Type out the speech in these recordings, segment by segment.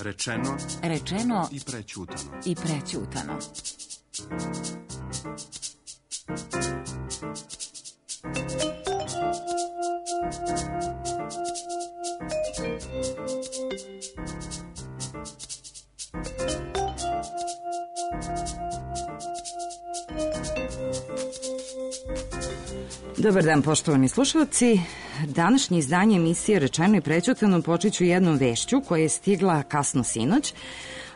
Rečeno i prećutano. Dobar dan, poštovani slušalci. Današnje izdanje emisije Rečeno i prećutano počet ću jednom vešću koja je stigla kasno sinoć,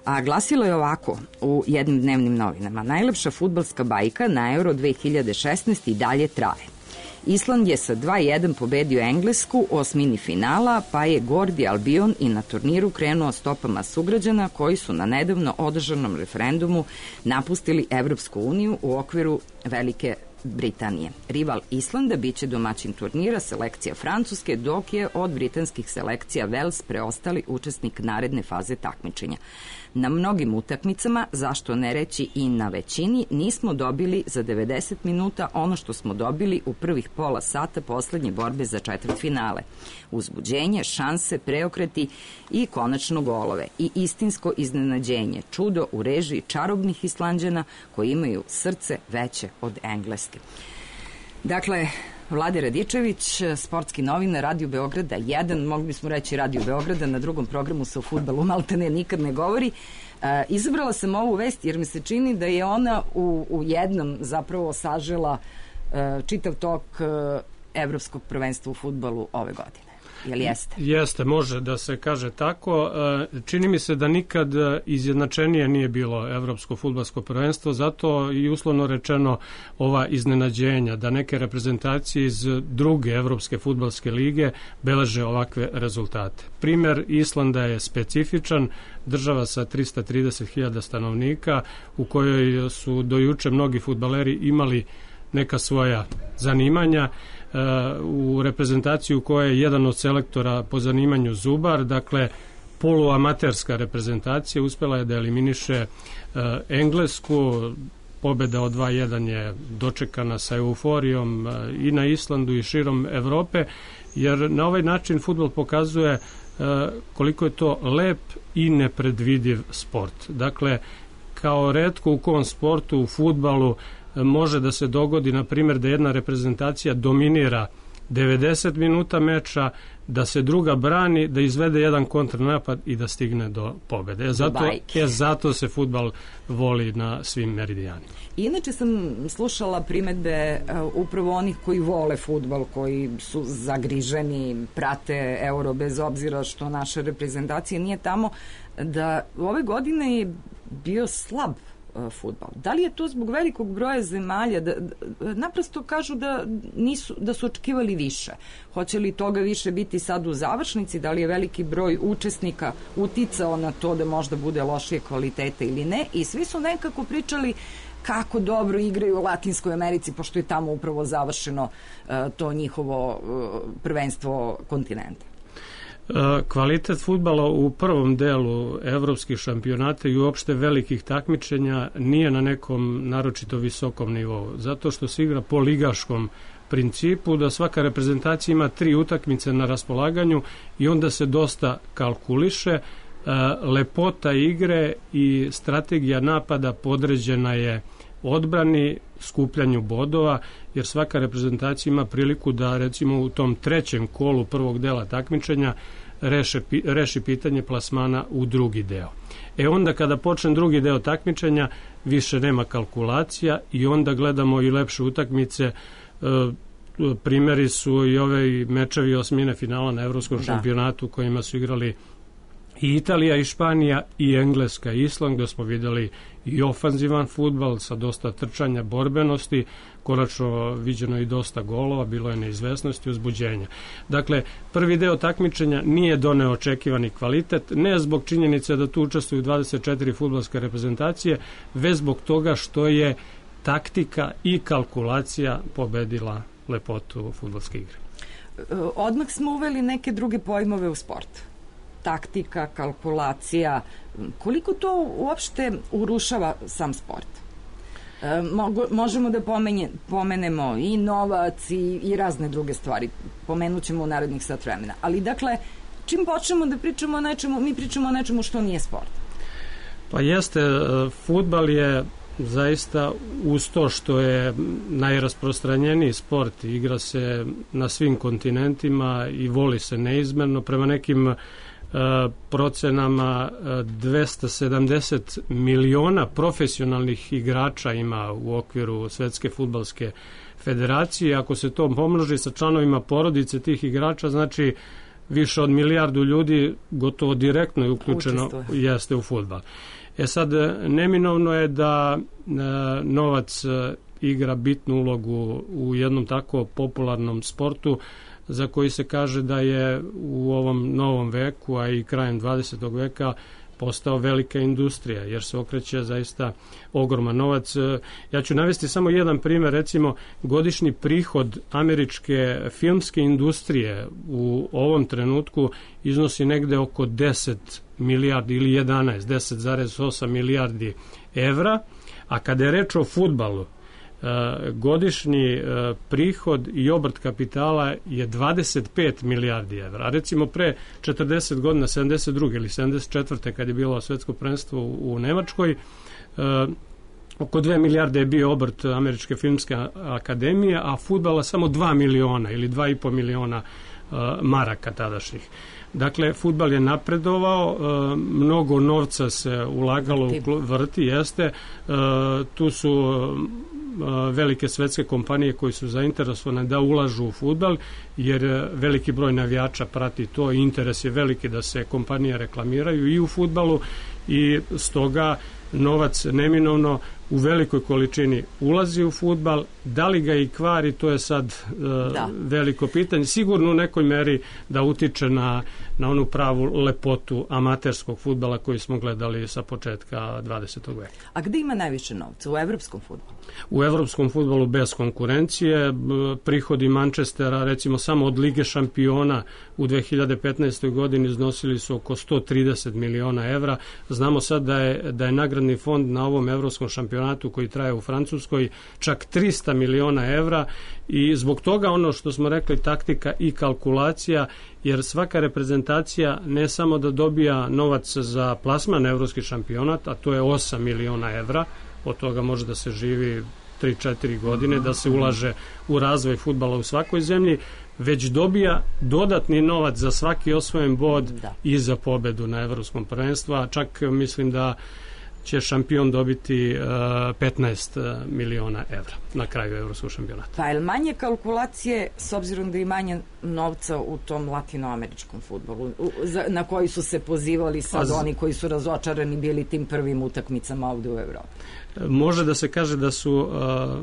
a glasilo je ovako u jednim dnevnim novinama. Najlepša fudbalska bajka na Euro 2016 i dalje traje. Island je sa 2:1 pobedio Englesku u osmini finala, pa je Gordi Albion i na turniru krenuo stopama sugrađana koji su na nedavno održanom referendumu napustili Evropsku uniju u okviru Velike Britanije. Rival Islanda biće domaćin turnira selekcija Francuske, dok je od britanskih selekcija Wales preostali učesnik naredne faze takmičenja. Na mnogim utakmicama, zašto ne reći i na većini, nismo dobili za 90 minuta ono što smo dobili u prvih pola sata poslednje borbe za četvrtfinale. Uzbuđenje, šanse, preokreti i konačno golove. I istinsko iznenađenje, čudo u režiji čarobnih Islanđana koji imaju srce veće od Engleske. Dakle, Vlade Radičević, sportski novinar, Radio Beograda 1, mogli bismo reći Radio Beograda, na drugom programu se o fudbalu maltene nikad ne govori. Izabrala sam ovu vest jer mi se čini da je ona u jednom zapravo sažela čitav tok evropskog prvenstva u fudbalu ove godine. Jel jeste? Jeste, može da se kaže tako. Čini mi se da nikad izjednačenije nije bilo evropsko fudbalsko prvenstvo, zato i uslovno rečeno ova iznenađenja da neke reprezentacije iz druge evropske fudbalske lige beleže ovakve rezultate. Primer Islanda je specifičan, država sa 330.000 stanovnika u kojoj su do juče mnogi fudbaleri imali neka svoja zanimanja, u reprezentaciju koja je jedan od selektora po zanimanju zubar, dakle poluamaterska reprezentacija, uspela je da eliminiše Englesku. Pobeda od 2:1 je dočekana sa euforijom i na Islandu i širom Evrope, jer na ovaj način fudbal pokazuje koliko je to lep i nepredvidiv sport. Dakle, kao retko u kom sportu, u fudbalu, može da se dogodi, na primjer, da jedna reprezentacija dominira 90 minuta meča, da se druga brani, da izvede jedan kontranapad i da stigne do pobede. Zato se fudbal voli na svim meridijanima. Inače sam slušala primetbe upravo onih koji vole fudbal, koji su zagriženi, prate Euro bez obzira što naša reprezentacija nije tamo, da ove godine je bio slab fudbal. Da li je to zbog velikog broja zemalja? Naprosto kažu da su očekivali više. Hoće li toga više biti sad u završnici? Da li je veliki broj učesnika uticao na to da možda bude lošije kvaliteta ili ne? I svi su nekako pričali kako dobro igraju u Latinskoj Americi, pošto je tamo upravo završeno to njihovo prvenstvo kontinenta. Kvalitet fudbala u prvom delu evropskih šampionata i uopšte velikih takmičenja nije na nekom naročito visokom nivou, zato što se igra po ligaškom principu, da svaka reprezentacija ima 3 utakmice na raspolaganju i onda se dosta kalkuliše. Lepota igre i strategija napada podređena je odbrani, skupljanju bodova, jer svaka reprezentacija ima priliku da recimo u tom trećem kolu prvog dela takmičenja reši pitanje plasmana u drugi deo. Onda kada počne drugi deo takmičenja više nema kalkulacija i onda gledamo i lepše utakmice. Primjeri su i ove mečevi osmine finala na evropskom šampionatu kojima su igrali i Italija i Španija i Engleska i Island, gdje smo vidjeli i ofanzivan fudbal sa dosta trčanja, borbenosti, konačno viđeno i dosta golova, bilo je neizvesnosti i uzbuđenja. Dakle, prvi deo takmičenja nije doneo očekivani kvalitet, ne zbog činjenice da tu učestvuju 24 fudbalske reprezentacije, već zbog toga što je taktika i kalkulacija pobedila lepotu fudbalske igre. Odmah smo uveli neke druge pojmove u sport. Taktika, kalkulacija, koliko to uopšte urušava sam sport? Možemo da pomenemo i novac i razne druge stvari. Pomenut ćemo u narednih sat vremena. Ali dakle, čim počnemo da pričamo o nečemu, mi pričamo o nečemu što nije sport. Pa jeste, fudbal je zaista uz to što je najrasprostranjeniji sport, igra se na svim kontinentima i voli se neizmerno. Prema nekim procenama 270 miliona profesionalnih igrača ima u okviru Svetske fudbalske federacije. Ako se to pomnoži sa članovima porodice tih igrača, znači više od milijardu ljudi gotovo direktno je uključeno jeste u fudbal. Sad, neminovno je da novac igra bitnu ulogu u jednom tako popularnom sportu za koji se kaže da je u ovom novom veku, a i krajem 20. veka postao velika industrija, jer se okreće zaista ogroman novac. Ja ću navesti samo jedan primjer, recimo godišnji prihod američke filmske industrije u ovom trenutku iznosi negde oko 10 milijardi ili 10,8 milijardi evra, a kada je reč o fudbalu, godišnji prihod i obrt kapitala je 25 milijardi evra. A recimo pre 40 godina, 72. ili 74. kad je bilo svetsko prvenstvo u Nemačkoj, oko 2 milijarde je bio obrt Američke filmske akademije, a fudbala samo 2 miliona ili 2,5 miliona maraka tadašnjih. Dakle, fudbal je napredovao, mnogo novca se ulagalo u vrti, jeste. Tu su velike svetske kompanije koji su zainteresovane da ulažu u fudbal, jer veliki broj navijača prati to i interes je veliki da se kompanije reklamiraju i u fudbalu i stoga novac neminovno u velikoj količini ulazi u fudbal. Da li ga i kvari, to je sad veliko pitanje. Sigurno u nekoj meri da utiče na onu pravu lepotu amaterskog fudbala koji smo gledali sa početka 20. veka. A gde ima najviše novca? U evropskom fudbalu? U evropskom fudbalu bez konkurencije. Prihodi Manchestera, recimo samo od Lige šampiona u 2015. godini iznosili su oko 130 miliona evra. Znamo sad da je nagradni fond na ovom evropskom šampionatu koji traje u Francuskoj čak 300 miliona evra i zbog toga ono što smo rekli taktika i kalkulacija, jer svaka reprezentacija ne samo da dobija novac za plasman na evropski šampionat, a to je 8 miliona evra, od toga može da se živi 3-4 godine, da se ulaže u razvoj fudbala u svakoj zemlji, već dobija dodatni novac za svaki osvojen bod i za pobedu na evropskom prvenstvu, a čak mislim da će šampion dobiti 15 miliona evra na kraju evropskog šampionata. Pa je manje kalkulacije s obzirom da je manje novca u tom latinoameričkom fudbalu na koji su se pozivali sad oni koji su razočarani bili tim prvim utakmicama ovde u Evropi? Može da se kaže da su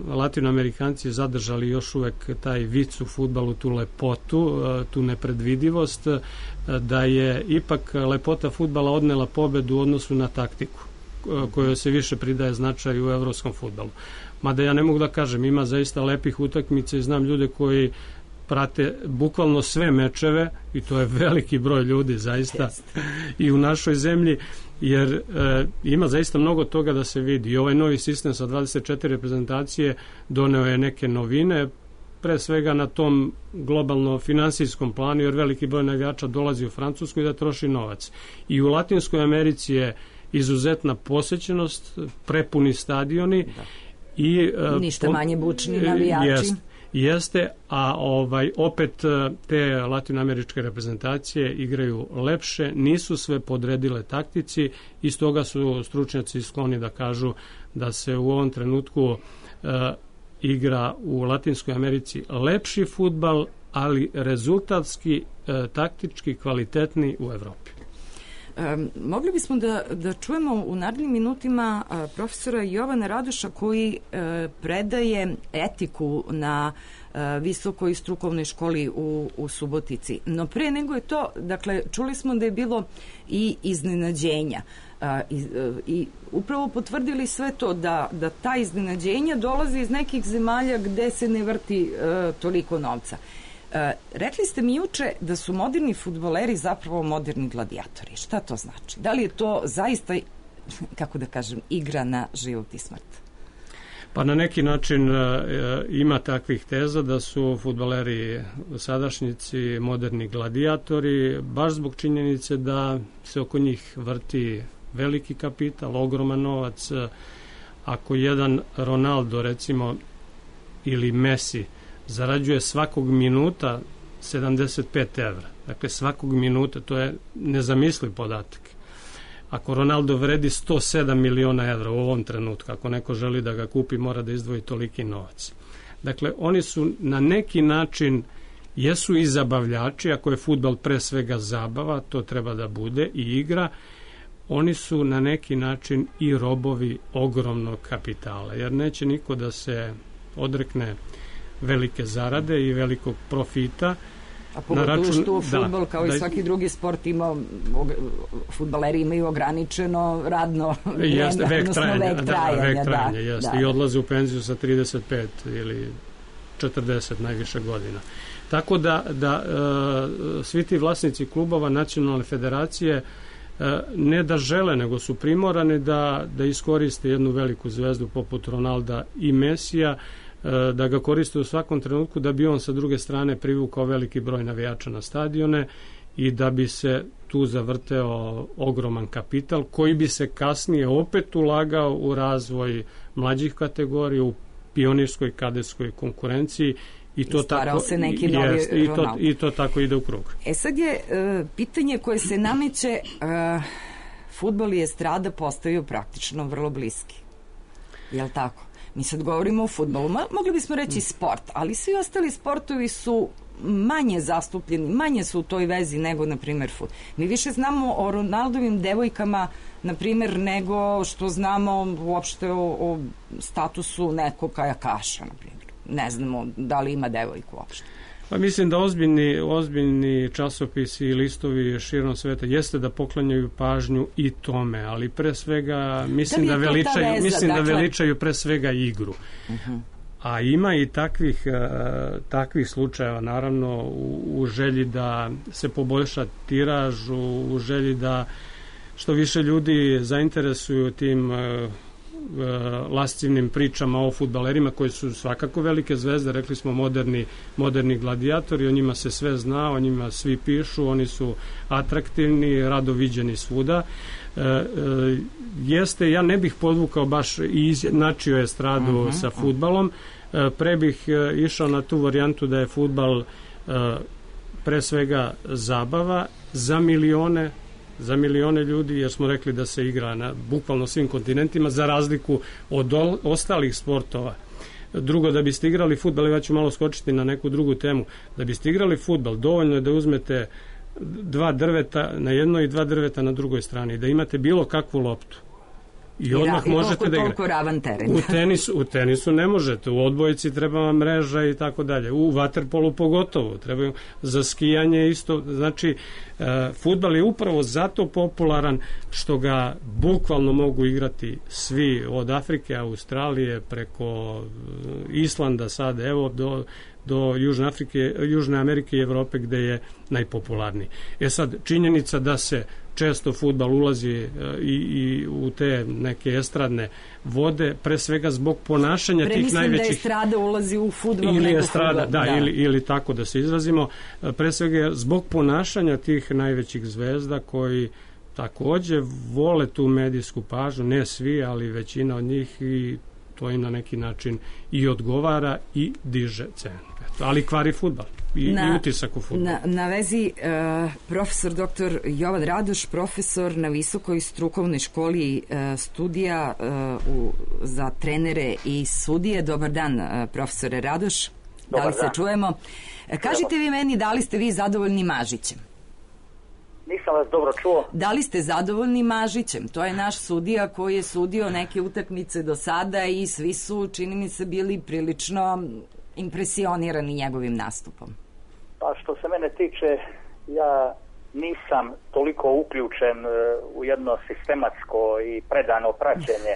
latinoamerikanci zadržali još uvek taj vic u fudbalu, tu lepotu, tu nepredvidivost, da je ipak lepota fudbala odnela pobedu u odnosu na taktiku kojoj se više pridaje značaj u evropskom fudbalu. Mada ja ne mogu da kažem, ima zaista lepih utakmica i znam ljude koji prate bukvalno sve mečeve i to je veliki broj ljudi zaista i u našoj zemlji, jer ima zaista mnogo toga da se vidi. I ovaj novi sistem sa 24 reprezentacije doneo je neke novine, pre svega na tom globalno finansijskom planu, jer veliki broj navijača dolazi u Francusku i da troši novac. I u Latinskoj Americi je izuzetna posećenost, prepuni stadioni i ništa manje bučni navijači. Jeste, a opet te latinoameričke reprezentacije igraju lepše, nisu sve podredile taktici i stoga su stručnjaci skloni da kažu da se u ovom trenutku igra u Latinskoj Americi lepši fudbal, ali rezultatski, taktički kvalitetni u Evropi. Mogli bismo da čujemo u narednim minutima profesora Jovana Radoša koji predaje etiku na visokoj strukovnoj školi u Subotici. No pre nego je to, dakle, čuli smo da je bilo i iznenađenja i upravo potvrdili sve to da ta iznenađenja dolaze iz nekih zemalja gde se ne vrti toliko novca. Rekli ste mi juče da su moderni fudbaleri zapravo moderni gladijatori. Šta to znači? Da li je to zaista, kako da kažem, igra na život i smrt? Pa na neki način ima takvih teza da su fudbaleri sadašnjici moderni gladijatori, baš zbog činjenice da se oko njih vrti veliki kapital, ogroman novac. Ako jedan Ronaldo, recimo, ili Messi zarađuje svakog minuta 75 evra, dakle svakog minuta, to je nezamisliv podatak. Ako Ronaldo vredi 107 miliona evra u ovom trenutku, ako neko želi da ga kupi, mora da izdvoji toliki novac. Dakle, oni su na neki način, jesu i zabavljači, ako je fudbal pre svega zabava, to treba da bude i igra, oni su na neki način i robovi ogromnog kapitala, jer neće niko da se odrekne velike zarade i velikog profita. A pogotovo što fudbal, kao i svaki drugi sport, fudbaleri imaju ograničeno radno vreme, odnosno vek trajanja. I odlaze u penziju sa 35 ili 40 najviše godina. Tako da svi ti vlasnici klubova nacionalne federacije ne da žele, nego su primorani da iskoriste jednu veliku zvezdu poput Ronalda i Mesija, da ga koriste u svakom trenutku da bi on sa druge strane privukao veliki broj navijača na stadione i da bi se tu zavrteo ogroman kapital koji bi se kasnije opet ulagao u razvoj mlađih kategorija, u pionirskoj kadetskoj konkurenciji i to tako se neki novi i to tako ide u krug. Sad je pitanje koje se nameće, fudbal i estrada postaju praktično vrlo bliski. Je li tako? Mi sad govorimo o fudbalu, mogli bismo reći sport, ali svi ostali sportovi su manje zastupljeni, manje su u toj vezi nego, na primjer, fudbal. Mi više znamo o Ronaldovim devojkama, na primjer, nego što znamo uopšte o statusu nekog kajakaša, na primjer. Ne znamo da li ima devojku uopšte. Pa mislim da ozbiljni časopisi i listovi širom sveta jeste da poklanjaju pažnju i tome, ali pre svega mislim da veličaju pre svega igru. A ima i takvih slučajeva, naravno, u želji da se poboljša tiraž, u želji da što više ljudi zainteresuju tim lascivnim pričama o fudbalerima koji su svakako velike zvezde, rekli smo moderni gladijatori, o njima se sve zna, o njima svi pišu, oni su atraktivni, rado viđeni svuda. Ja ne bih podvukao baš i izjednačio estradu sa fudbalom, pre bih išao na tu varijantu da je fudbal pre svega zabava za milione ljudi, jer smo rekli da se igra na bukvalno svim kontinentima, za razliku od ostalih sportova. Drugo, da biste igrali fudbal, ja ću malo skočiti na neku drugu temu, da biste igrali fudbal, dovoljno je da uzmete 2 drveta na jednoj i 2 drveta na drugoj strani, da imate bilo kakvu loptu. I odmah možete da igrate. Ravan teren. U tenisu ne možete, u odbojci treba vam mreža i tako dalje, u vaterpolu pogotovo, treba za skijanje isto. Znači, fudbal je upravo zato popularan što ga bukvalno mogu igrati svi, od Afrike, Australije, preko Islanda sad, evo do Južne Amerike i Evrope gde je najpopularniji. Sad, činjenica da se često fudbal ulazi i u te neke estradne vode, pre svega zbog ponašanja tih najvećih... Premislim da estrada ulazi u fudbal nego fudbal. Ili tako da se izrazimo. Pre svega zbog ponašanja tih najvećih zvezda koji takođe vole tu medijsku pažnju, ne svi, ali većina od njih, i to im na neki način i odgovara i diže cenu. Ali kvari fudbal i utisak u fudbalu. Na vezi profesor dr. Jovan Radoš, profesor na Visokoj strukovnoj školi studija za trenere i sudije. Dobar dan, profesore Radoš. Da li se čujemo? Kažite vi meni, da li ste vi zadovoljni Mažićem? Nisam vas dobro čuo. Da li ste zadovoljni Mažićem? To je naš sudija koji je sudio neke utakmice do sada i svi su, čini mi se, bili prilično impresionirani njegovim nastupom. Pa što se mene tiče, ja nisam toliko uključen u jedno sistematsko i predano praćenje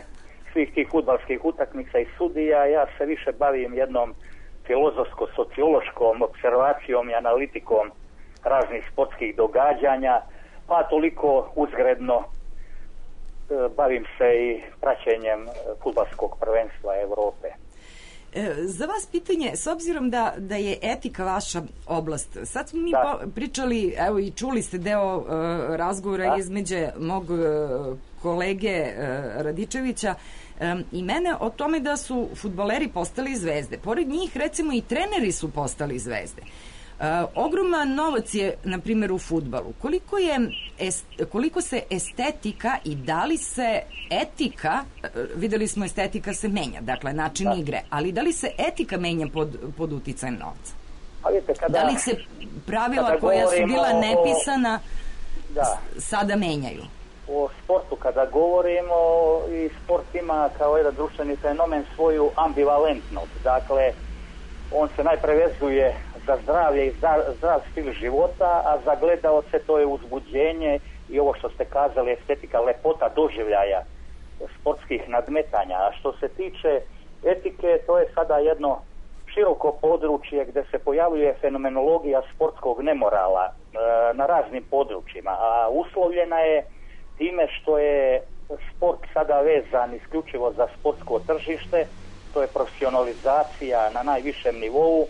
svih tih fudbalskih utakmica i sudija. Ja se više bavim jednom filozofsko-sociološkom observacijom i analitikom raznih sportskih događanja, pa toliko uzgredno bavim se i praćenjem fudbalskog prvenstva Evrope. Za vas pitanje, s obzirom da je etika vaša oblast, sad smo mi pričali, evo i čuli ste deo razgovora između mog kolege Radičevića i mene o tome da su fudbaleri postali zvezde. Pored njih, recimo, i treneri su postali zvezde. Ogroman novac je, na primjer, u fudbalu. Koliko se estetika i da li se etika, videli smo estetika se menja, dakle način igre, ali da li se etika menja pod uticajem novca? Da li se pravila koja su bila nepisana sada menjaju? O sportu kada govorimo, i sport ima kao jedan društveni fenomen svoju ambivalentnost. Dakle, on se najpre vezuje za zdravlje i zdrav stil života, a za gledaoce to je uzbuđenje i ovo što ste kazali, estetika, lepota doživljaja sportskih nadmetanja. A što se tiče etike, to je sada jedno široko područje gde se pojavljuje fenomenologija sportskog nemorala na raznim područjima, a uslovljena je time što je sport sada vezan isključivo za sportsko tržište, to je profesionalizacija na najvišem nivou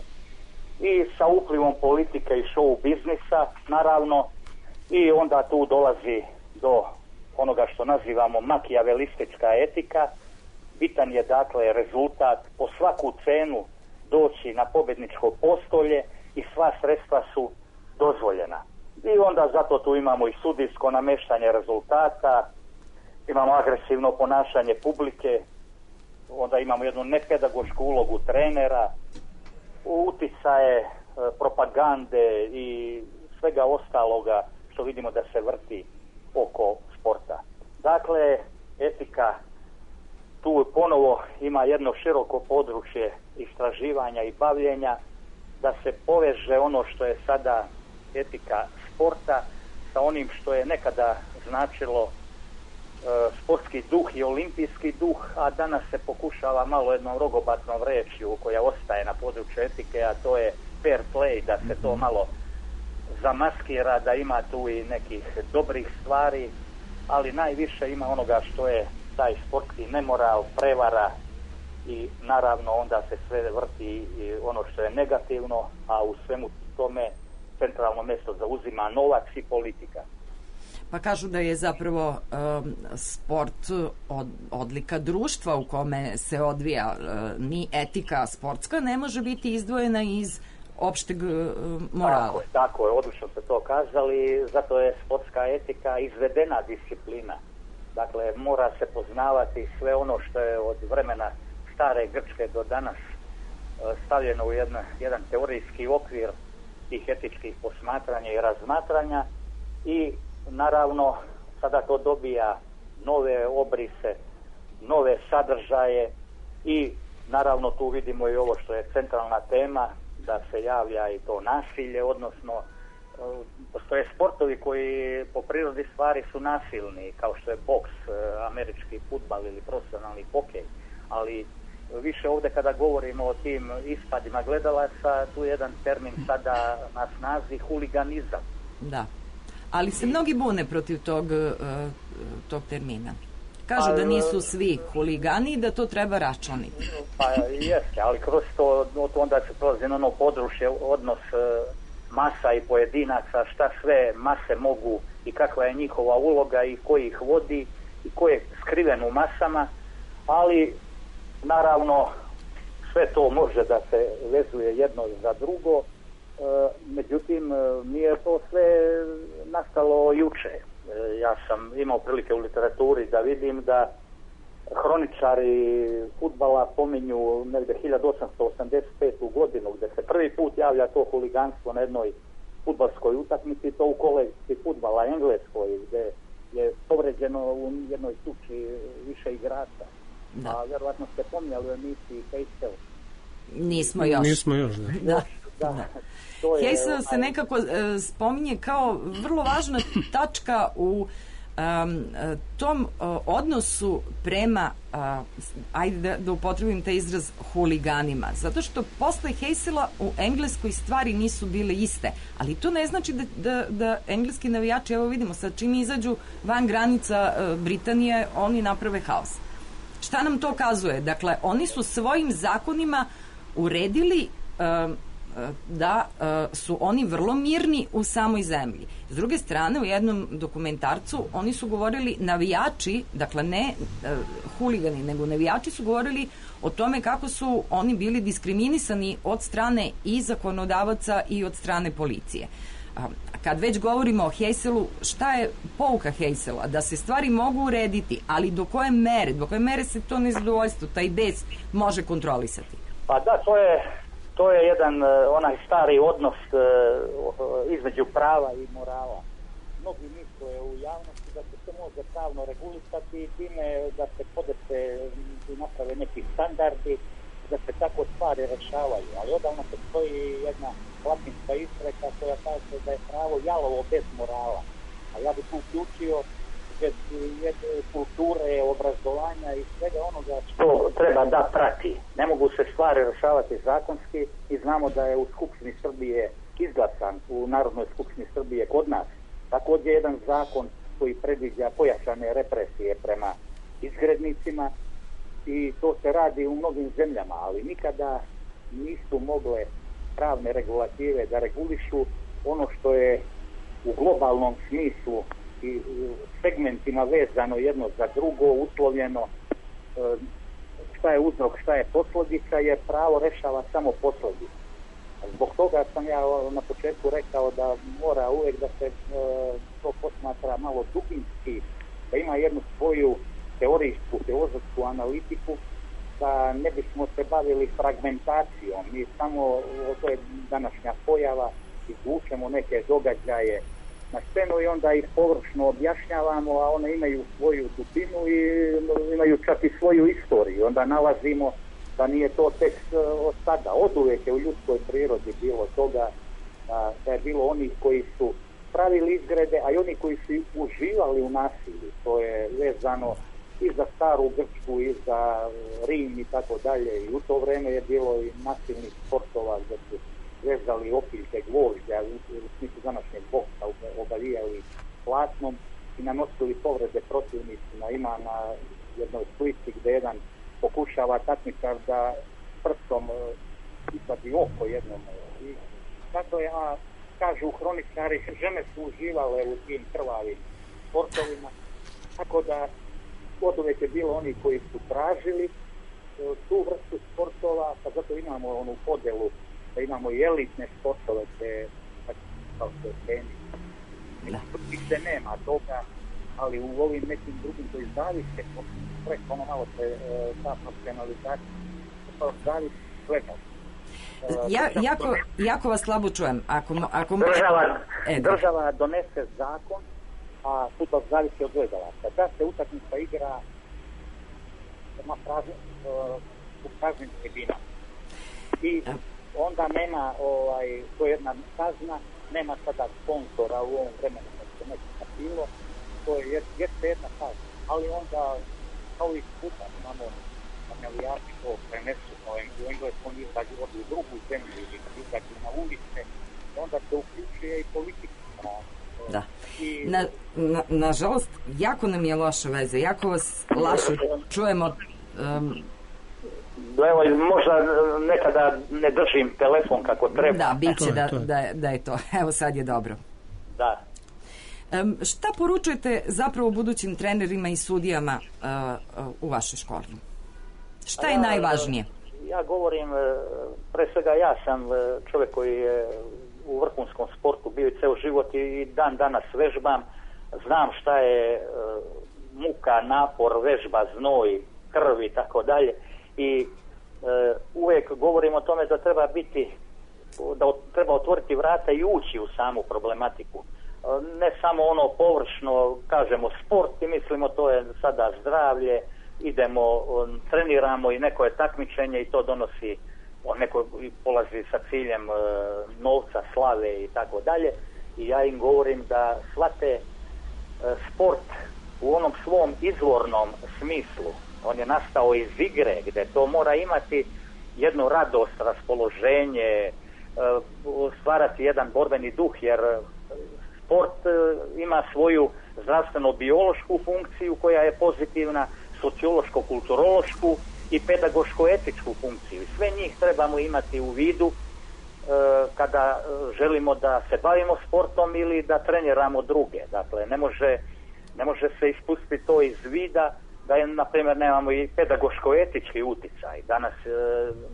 i sa uplivom politike i show biznisa, naravno, i onda tu dolazi do onoga što nazivamo makijavelistička etika. Bitan je dakle rezultat, po svaku cenu doći na pobjedničko postolje i sva sredstva su dozvoljena. I onda zato tu imamo i sudijsko nameštanje rezultata, imamo agresivno ponašanje publike, onda imamo jednu nepedagošku ulogu trenera, uticaje, propagande i svega ostaloga što vidimo da se vrti oko sporta. Dakle, etika tu ponovo ima jedno široko područje istraživanja i bavljenja, da se poveže ono što je sada etika sporta sa onim što je nekada značilo sportski duh i olimpijski duh, a danas se pokušava malo jednom rogobatnom rečju koja ostaje na području etike, a to je fair play, da se to malo zamaskira, da ima tu i nekih dobrih stvari, ali najviše ima onoga što je taj sportski nemoral, prevara i naravno onda se sve vrti i ono što je negativno, a u svemu tome centralno mjesto zauzima novac i politika. Pa kažu da je zapravo sport odlika društva u kome se odvija, ni etika sportska ne može biti izdvojena iz opšteg morala. Tako je, odlično ste to kazali, zato je sportska etika izvedena disciplina. Dakle, mora se poznavati sve ono što je od vremena stare Grčke do danas stavljeno u jedan teorijski okvir tih etičkih posmatranja i razmatranja i naravno sada to dobija nove obrise, nove sadržaje i naravno tu vidimo i ovo što je centralna tema, da se javlja i to nasilje, odnosno postoje sportovi koji po prirodi stvari su nasilni, kao što je boks, američki fudbal ili profesionalni hokej, ali više ovdje kada govorimo o tim ispadima gledalaca, tu je jedan termin sada na snazi, huliganizam. Da, ali se mnogi bune protiv tog termina. Kažu da nisu svi huligani i da to treba računiti. Pa jeste, ali kroz to onda se prolazi na ono područje, odnos masa i pojedinaca, šta sve mase mogu i kakva je njihova uloga i ko ih vodi i ko je skriven u masama, ali naravno sve to može da se vezuje jedno za drugo, međutim nije to sve nastalo juče. Ja sam imao prilike u literaturi da vidim da hroničari fudbala pominju negdje 1885. godinu gdje se prvi put javlja to huliganstvo na jednoj fudbalskoj utakmici, to u kolekciji fudbala Engleskoj gdje je povređeno u jednoj tuči više igrača. Da. A vjerovatno ste pomnjali u emisiji Heysel. Nismo još. Da. Heysel se nekako spominje kao vrlo važna tačka u tom odnosu prema, ajde da upotrebim taj izraz, huliganima. Zato što posle Heysela u Engleskoj stvari nisu bile iste. Ali to ne znači da engleski navijači, evo vidimo, sad čim izađu van granica Britanije, oni naprave haos. Šta nam to kazuje? Dakle, oni su svojim zakonima uredili da su oni vrlo mirni u samoj zemlji. S druge strane, u jednom dokumentarcu oni su govorili navijači, dakle ne huligani, nego navijači su govorili o tome kako su oni bili diskriminisani od strane i zakonodavaca i od strane policije. Kad već govorimo o Heyselu, šta je pouka Heysela? Da se stvari mogu urediti, ali do koje mere se to nezadovoljstvo, taj bes može kontrolisati? Pa da, to je jedan onaj stari odnos između prava i morala. Mnogi misle u javnosti da se to može pravno regulisati i time da se podese i naprave neki standardi, da se tako stvari rešavaju. Ali odavno postoji jedna latinska izreka koja kaže da je pravo jalovo bez morala. A ja bih tu uključio kulture, obrazovanja i svega onoga što treba da prati. Ne mogu se stvari rešavati zakonski i znamo da je u Skupštini Srbije izglasan, u Narodnoj skupštini Srbije kod nas također jedan zakon koji predviđa pojačane represije prema izgrednicima i to se radi u mnogim zemljama, ali nikada nisu mogle pravne regulative da regulišu ono što je u globalnom smislu i segmentima vezano jedno za drugo, uslovljeno, šta je uzrok, šta je posljedica, jer pravo rešava samo posljedice. Zbog toga sam ja na početku rekao da mora uvijek da se to posmatra malo dubinski, da ima jednu svoju teorijsku, filozofsku analitiku, da ne bismo se bavili fragmentacijom. Mi samo, to je današnja pojava, izvučemo neke događaje na scenu i onda ih površno objašnjavamo, a one imaju svoju dubinu i imaju čak i svoju istoriju. Onda nalazimo da nije to tek od sada. Oduvijek je u ljudskoj prirodi bilo toga da je bilo onih koji su pravili izgrede, a i oni koji su uživali u nasilju. To je vezano i za staru Grčku, i za Rim i tako dalje. I u to vreme je bilo i nasilnih sportova gdje su vezali opiljke gvožđa u smislu današnjeg boksa, obalijali platnom i nanosili povrede protivnicima. Ima na jednoj slici gdje jedan pokušava takmičar da prstom isvadi oko jednom. I tako je, kažu hroničari, žene su uživale u tim krvavim sportovima, tako da oduvijek je bilo oni koji su tražili tu vrstu sportova, pa zato imamo onu podelu da imamo i elitne sportove kao što je tenis. Gdje nema toga, ali u ovim nekim drugim koji zavise, preko ono malo se ta profesionalizacija, zavise svega. Jako vas slabo čujem. Država donese zakon, a fudbal zavisi od gledalaca. Da se utakmica igra u praznim tribinama. I onda nema, to je jedna kazna, nema sada sponzora u ovom vremenu kad se nekada bilo, to je jedna kazna. Ali onda, kao i puta, imamo navijači to prenesu, u Engleskom izađu u drugu zemlju ili izađu na ulice, onda se uključuje i politika. Da. Nažalost, jako nam je loša veza, jako vas lašo čujemo. Evo, možda nekada ne držim telefon kako treba. Da, bit će da je to. Evo sad je dobro. Da. Šta poručujete zapravo budućim trenerima i sudijama u vašoj školi? Šta je najvažnije? Ja govorim, pre svega ja sam čovjek koji je u vrhunskom sportu bio i ceo život i dan danas vežbam. Znam šta je muka, napor, vežba, znoj, krv i tako dalje. I uvijek govorim o tome da treba biti, da treba otvoriti vrata i ući u samu problematiku. Ne samo ono površno, kažemo sport i mislimo to je sada zdravlje, idemo, treniramo i neko je takmičenje i to donosi, neko polazi sa ciljem novca, slave i tako dalje. I ja im govorim da shvate sport u onom svom izvornom smislu, on je nastao iz igre, gdje to mora imati jednu radost, raspoloženje, stvarati jedan borbeni duh, jer sport ima svoju zdravstveno-biološku funkciju koja je pozitivna, sociološko-kulturološku i pedagoško-etičku funkciju. Sve njih trebamo imati u vidu kada želimo da se bavimo sportom ili da treniramo druge. Dakle, ne može se ispustiti to iz vida da je, na primjer, nemamo i pedagoško-etički uticaj. Danas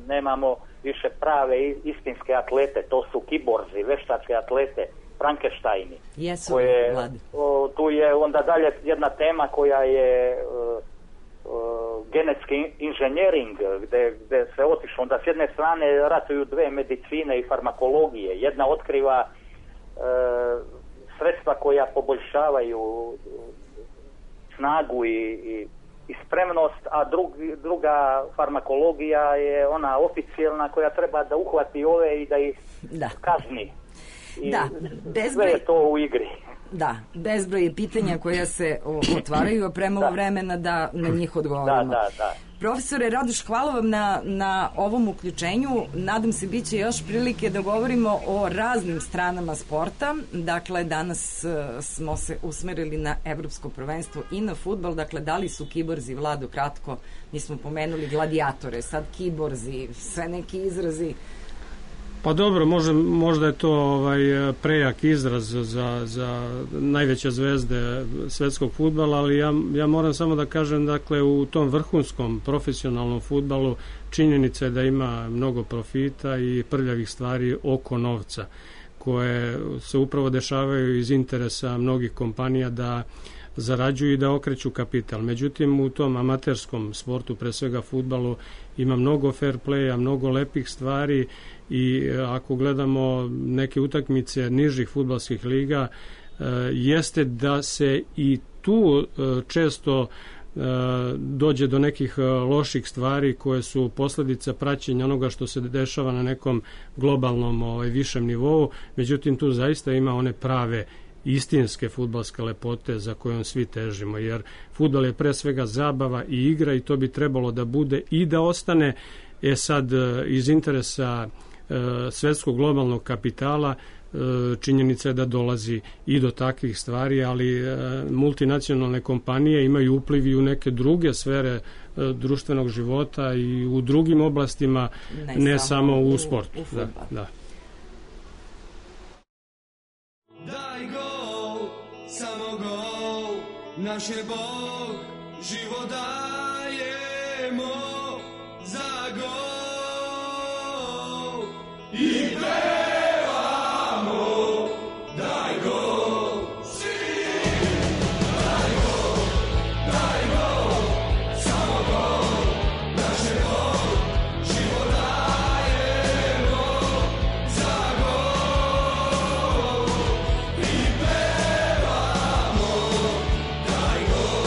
nemamo više prave istinske atlete, to su kiborzi, veštačke atlete, Frankensteini. Jesu, tu je onda dalje jedna tema koja je genetski inženjering, gdje se otišlo, onda s jedne strane ratuju dve medicine i farmakologije. Jedna otkriva sredstva koja poboljšavaju snagu i spremnost, a druga farmakologija je ona oficijelna koja treba da uhvati ove i da ih kazni. I sve je to u igri. Da, bezbroj je pitanja koja se otvaraju, a premalo vremena da na njih odgovorimo. Da. Profesore Radoš, hvala vam na ovom uključenju. Nadam se bit će još prilike da govorimo o raznim stranama sporta. Dakle, danas smo se usmerili na evropsko prvenstvo i na fudbal. Dakle, da li su kiborzi, Vlado, kratko, mi smo pomenuli gladiatore, sad kiborzi, sve neki izrazi. Pa dobro, možda je to prejak izraz za najveće zvezde svetskog fudbala, ali ja moram samo da kažem, dakle, u tom vrhunskom profesionalnom fudbalu činjenica je da ima mnogo profita i prljavih stvari oko novca, koje se upravo dešavaju iz interesa mnogih kompanija da zarađuju i da okreću kapital. Međutim, u tom amaterskom sportu, pre svega fudbalu, ima mnogo fair playa, mnogo lepih stvari i ako gledamo neke utakmice nižih fudbalskih liga, jeste da se i tu često dođe do nekih loših stvari koje su posljedica praćenja onoga što se dešava na nekom globalnom višem nivou. Međutim, tu zaista ima one prave istinske fudbalske lepote za kojom svi težimo, jer fudbal je pre svega zabava i igra i to bi trebalo da bude i da ostane. Sad, iz interesa svetskog globalnog kapitala činjenica je da dolazi i do takvih stvari, ali multinacionalne kompanije imaju upliv i u neke druge sfere društvenog života i u drugim oblastima, ne samo u sportu. Da. Daj gol, samo gol, naš je Bog, život dajemo za gol i pevamo, daj gol, svi, daj gol, samo gol, naš je Bog, život dajemo za gol i pevamo, daj gol,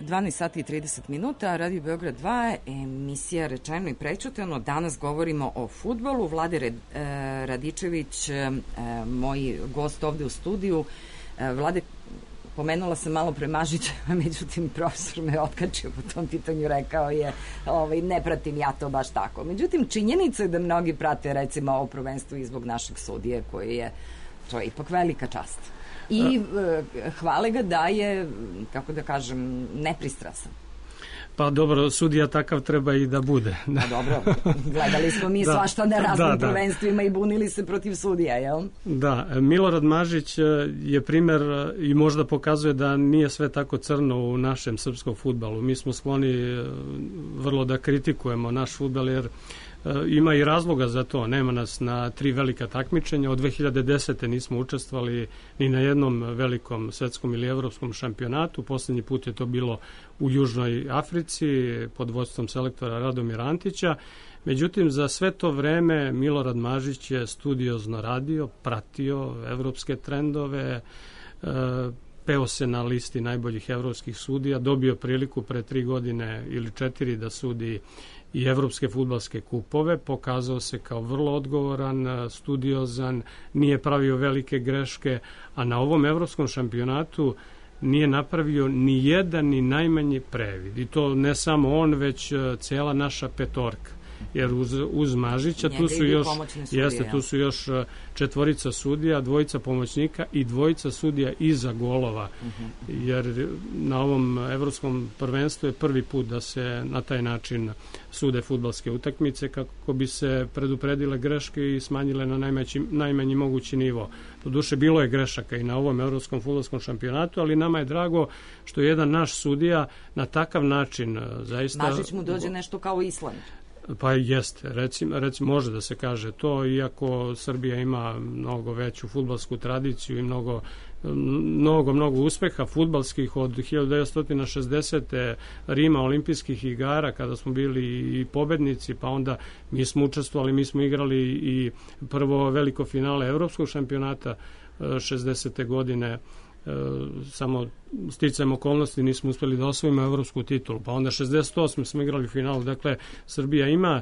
12 sati i 30 minuta, Radio Beograd 2, emisija Rečeno i prećutano. Danas govorimo o fudbalu. Vlade Radičević, moj gost ovde u studiju. Vlade, pomenula sam malo pre Mažića, međutim profesor me otkačio po tom pitanju, rekao je ne pratim ja to baš tako. Međutim, činjenica je da mnogi prate recimo ovo prvenstvo i zbog našeg sudije koji je, to je ipak velika čast. I hvale ga da je, kako da kažem, nepristrasan. Pa dobro, sudija takav treba i da bude. Pa dobro, gledali smo mi svašta na raznim prvenstvima i bunili se protiv sudija, jel? Da, Milorad Mažić je primer i možda pokazuje da nije sve tako crno u našem srpskom fudbalu. Mi smo skloni vrlo da kritikujemo naš fudbal, jer ima i razloga za to. Nema nas na 3 velika takmičenja. Od 2010. nismo učestvovali ni na jednom velikom svetskom ili evropskom šampionatu. Poslednji put je to bilo u Južnoj Africi pod vodstvom selektora Radomira Antića. Međutim, za sve to vreme Milorad Mažić je studiozno radio, pratio evropske trendove, peo se na listi najboljih evropskih sudija, dobio priliku pre 3 godine ili 4 da sudi i evropske fudbalske kupove, pokazao se kao vrlo odgovoran, studiozan, nije pravio velike greške, a na ovom evropskom šampionatu nije napravio ni jedan ni najmanji previd. I to ne samo on, već cela naša petorka. Jer uz Mažića tu su još 4 sudija, 2 pomoćnika i 2 sudija iza golova. Jer na ovom evropskom prvenstvu je prvi put da se na taj način sude fudbalske utakmice kako bi se predupredile greške i smanjile na najmanji mogući nivo. Doduše, bilo je grešaka i na ovom evropskom fudbalskom šampionatu, ali nama je drago što je jedan naš sudija na takav način zaista... Mažić mu dođe nešto kao Island. Pa jeste, recimo može da se kaže to, iako Srbija ima mnogo veću fudbalsku tradiciju i mnogo uspeha fudbalskih od 1960. Rima, olimpijskih igara, kada smo bili i pobednici, pa onda mi smo učestvovali, mi smo igrali i prvo veliko finale evropskog šampionata 60. godine, samo sticajem okolnosti nismo uspeli da osvojimo evropsku titulu, pa onda 68. smo igrali finalu. Dakle, Srbija ima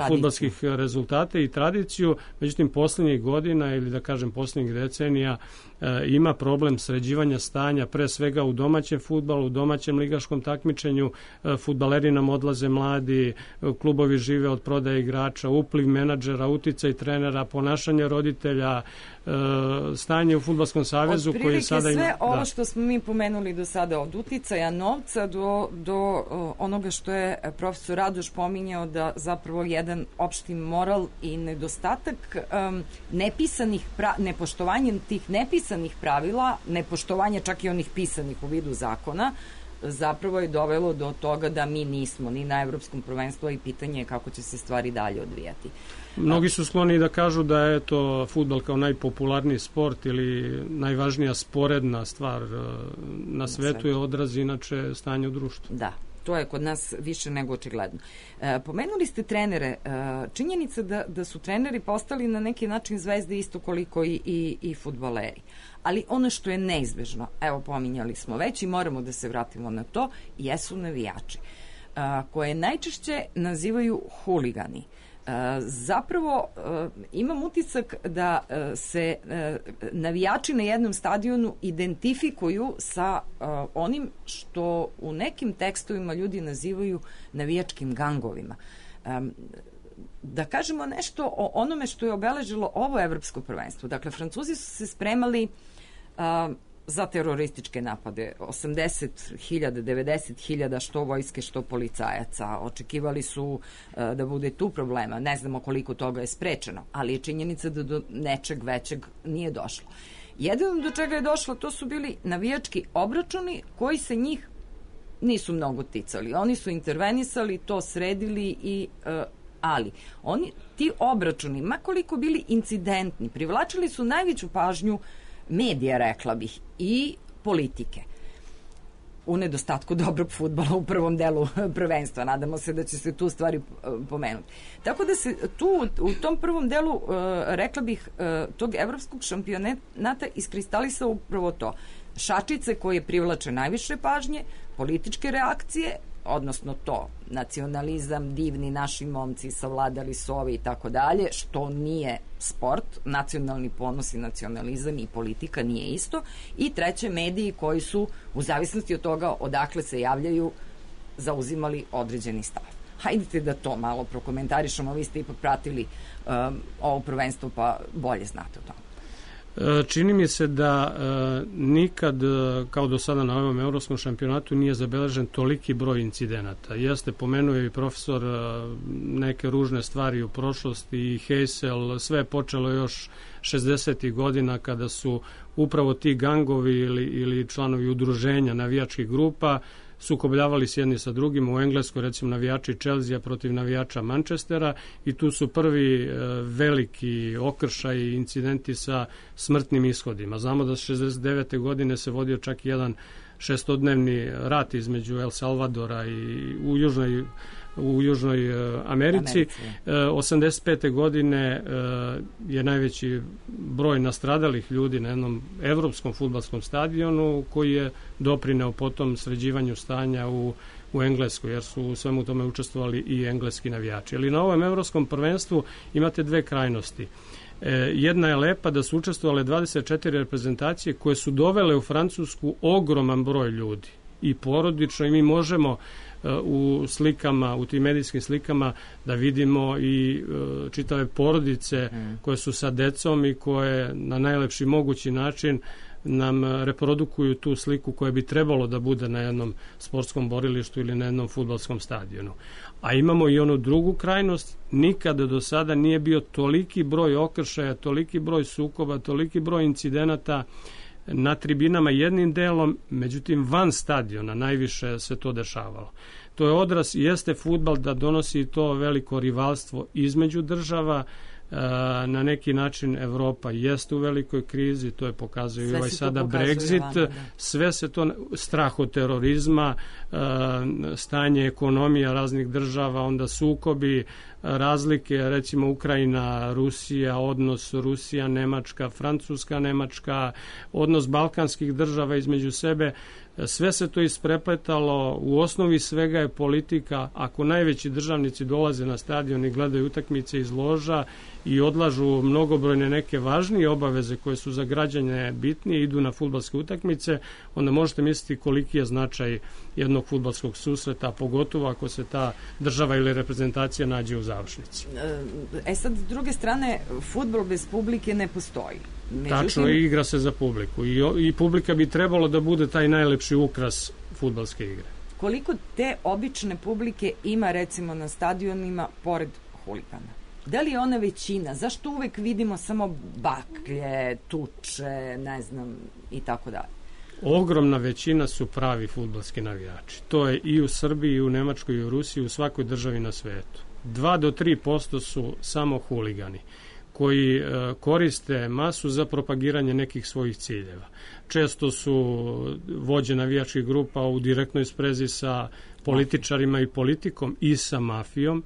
fudbalskih rezultate i tradiciju, međutim poslednjih godina ili da kažem poslednjih decenija ima problem sređivanja stanja, pre svega u domaćem fudbalu, u domaćem ligaškom takmičenju. Fudbaleri nam odlaze mladi, klubovi žive od prodaje igrača, upliv menadžera, uticaj trenera, ponašanje roditelja, stanje u Fudbalskom savezu koji sada ima... Sve ovo što smo mi pomenuli do sada, od uticaja novca do onoga što je profesor Radoš pominjao, da zapravo jedan opšti moral i nedostatak nepoštovanjem tih nepisanih pravila, nepoštovanje čak i onih pisanih u vidu zakona, zapravo je dovelo do toga da mi nismo ni na evropskom prvenstvu, i pitanje je kako će se stvari dalje odvijati. Mnogi su skloni da kažu da je to fudbal kao najpopularniji sport ili najvažnija sporedna stvar na svetu, je odraz inače stanje u društvu. Da, to je kod nas više nego očigledno. Pomenuli ste trenere. Činjenica da su treneri postali na neki način zvezde isto koliko i fudbaleri. Ali ono što je neizbežno, evo pominjali smo već i moramo da se vratimo na to, jesu navijači, koje najčešće nazivaju huligani. Zapravo imam utisak da se navijači na jednom stadionu identifikuju sa onim što u nekim tekstovima ljudi nazivaju navijačkim gangovima. Da kažemo nešto o onome što je obeležilo ovo evropsko prvenstvo. Dakle, Francuzi su se spremali za terorističke napade, 80.000, 90.000 što vojske, što policajaca. Očekivali su da bude tu problema. Ne znamo koliko toga je sprečeno, ali je činjenica da do nečeg većeg nije došlo. Jedino do čega je došlo, to su bili navijački obračuni koji se njih nisu mnogo ticali. Oni su intervenisali, to sredili ali ti obračuni, makoliko bili incidentni, privlačili su najveću pažnju medija, rekla bih, i politike. U nedostatku dobrog fudbala u prvom delu prvenstva. Nadamo se da će se tu stvari pomenuti. Tako da se tu, u tom prvom delu, rekla bih, tog evropskog šampionata iskristalisao upravo to. šačice koje privlače najviše pažnje, političke reakcije, odnosno to, nacionalizam, divni naši momci, savladali su ove i tako dalje, što nije sport, nacionalni ponos i nacionalizam i politika nije isto, i treće, mediji koji su, u zavisnosti od toga odakle se javljaju, zauzimali određeni stav. Hajdete da to malo prokomentarišemo, vi ste ipak pratili ovo prvenstvo, pa bolje znate o tome. Čini mi se da nikad, kao do sada na ovom evropskom šampionatu, nije zabeležen toliki broj incidenata. Jeste, pomenuo i profesor neke ružne stvari u prošlosti i Heysel, sve je počelo još 60. godina kada su upravo ti gangovi ili članovi udruženja navijačkih grupa sukobljavali s jedni sa drugim. U Engleskoj, recimo, navijači Chelsea protiv navijača Manchestera, i tu su prvi veliki okršaj i incidenti sa smrtnim ishodima. Znamo da 69. godine se vodio čak jedan šestodnevni rat između El Salvadora i u Južnoj Americi. 85. godine je najveći broj nastradalih ljudi na jednom evropskom fudbalskom stadionu, koji je doprineo potom sređivanju stanja u Engleskoj, jer su u svemu tome učestvovali i engleski navijači. Ali na ovom evropskom prvenstvu imate dve krajnosti. Jedna je lepa, da su učestvovale 24 reprezentacije koje su dovele u Francusku ogroman broj ljudi i porodično, i mi možemo u slikama, u tim medijskim slikama da vidimo i čitave porodice koje su sa decom i koje na najlepši mogući način nam reprodukuju tu sliku koja bi trebalo da bude na jednom sportskom borilištu ili na jednom fudbalskom stadionu. A imamo i onu drugu krajnost, nikada do sada nije bio toliki broj okršaja, toliki broj sukoba, toliki broj incidenata na tribinama jednim delom, međutim van stadiona najviše se to dešavalo. To je odraz, jeste fudbal da donosi to veliko rivalstvo između država, na neki način Evropa jeste u velikoj krizi, to je pokazuje i ovaj sada Brexit, sve se to, strah od terorizma, stanje ekonomija raznih država, onda sukobi, razlike, recimo Ukrajina, Rusija, odnos Rusija, Nemačka, Francuska, Nemačka, odnos balkanskih država između sebe, sve se to isprepletalo. U osnovi svega je politika. Ako najveći državnici dolaze na stadion i gledaju utakmice iz loža i odlažu mnogobrojne neke važnije obaveze koje su za građane bitnije, idu na fudbalske utakmice, onda možete misliti koliki je značaj jednog fudbalskog susreta, pogotovo ako se ta država ili reprezentacija nađe u završnici. Sad, s druge strane, fudbal bez publike ne postoji. Međutim, tačno, igra se za publiku i publika bi trebalo da bude taj najlepši ukras fudbalske igre. Koliko te obične publike ima, recimo, na stadionima pored huligana? Da li je ona većina? Zašto uvek vidimo samo baklje, tuče, ne znam, i tako dalje? Ogromna većina su pravi fudbalski navijači. To je i u Srbiji, i u Nemačkoj, i u Rusiji, u svakoj državi na svetu. 2 do 3% su samo huligani koji koriste masu za propagiranje nekih svojih ciljeva. Često su vođe navijačkih grupa u direktnoj sprezi sa političarima i politikom i sa mafijom.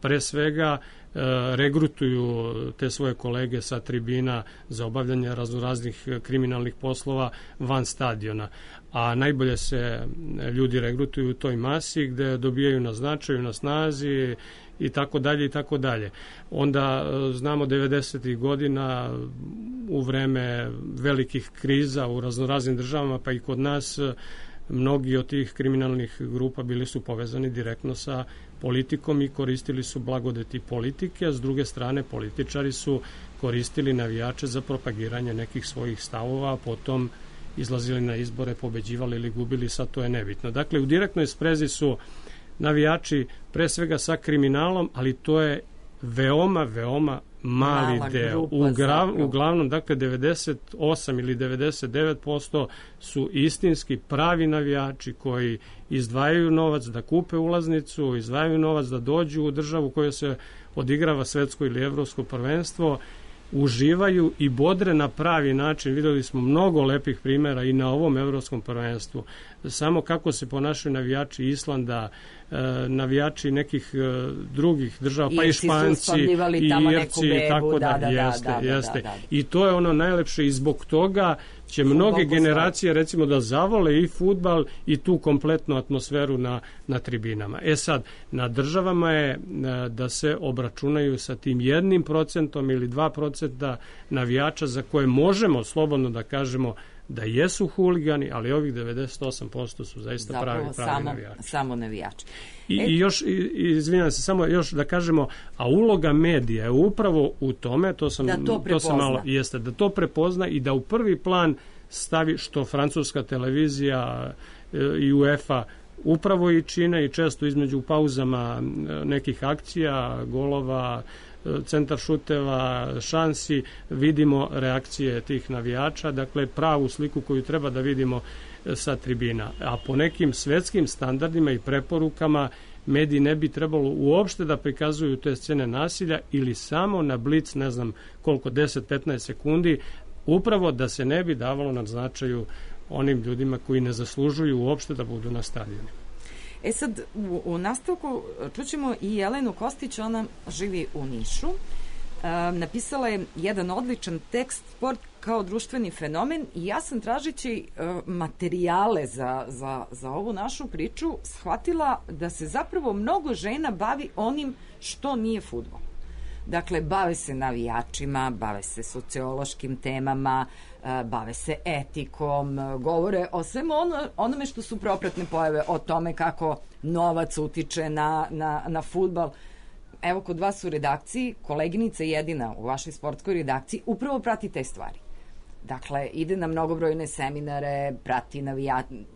Pre svega regrutuju te svoje kolege sa tribina za obavljanje raznoraznih kriminalnih poslova van stadiona. A najbolje se ljudi regrutuju u toj masi gde dobijaju na značaju, na snazi i tako dalje i tako dalje. Onda znamo 90. godina u vreme velikih kriza u raznoraznim državama, pa i kod nas, mnogi od tih kriminalnih grupa bili su povezani direktno sa politikom i koristili su blagodeti politike, a s druge strane političari su koristili navijače za propagiranje nekih svojih stavova, a potom izlazili na izbore, pobeđivali ili gubili, sad to je nebitno. Dakle, u direktnoj sprezi su navijači pre svega sa kriminalom, ali to je veoma mali deo. Uglavnom, dakle, 98 ili 99% su istinski pravi navijači koji izdvajaju novac da kupe ulaznicu, izdvajaju novac da dođu u državu koja se odigrava svetsko ili evropsko prvenstvo, uživaju i bodre na pravi način. Videli smo mnogo lepih primjera i na ovom evropskom prvenstvu. Samo kako se ponašaju navijači Islanda, navijači nekih drugih država, pa i Španci, i Irci, i tako da, jeste. I to je ono najlepše i zbog toga će mnoge generacije recimo da zavole i fudbal i tu kompletnu atmosferu na tribinama. Sad, na državama je da se obračunaju sa tim 1% ili 2% navijača za koje možemo slobodno da kažemo da jesu huligani, ali ovih 98% su zaista pravi navijači. Samo navijači. I još, izvinjam se, samo još da kažemo, a uloga medija je upravo u tome, da to prepozna i da u prvi plan stavi, što francuska televizija i UEFA upravo i čine, i često između pauzama nekih akcija, golova, centar šuteva, šansi, vidimo reakcije tih navijača, dakle pravu sliku koju treba da vidimo sa tribina. A po nekim svetskim standardima i preporukama mediji ne bi trebalo uopšte da prikazuju te scene nasilja ili samo na blic, ne znam koliko, 10-15 sekundi, upravo da se ne bi davalo na značaju onim ljudima koji ne zaslužuju uopšte da budu na stadionu. Sad, u nastavku čućemo i Jelenu Kostić, ona živi u Nišu. Napisala je jedan odličan tekst, sport kao društveni fenomen, i ja sam tražeći materijale za ovu našu priču shvatila da se zapravo mnogo žena bavi onim što nije fudbal. Dakle, bave se navijačima, bave se sociološkim temama, bave se etikom, govore o svemu onome što su propratne pojave, o tome kako novac utiče na fudbal. Evo, kod vas u redakciji, koleginica jedina u vašoj sportskoj redakciji upravo prati te stvari. Dakle, ide na mnogobrojne seminare, prati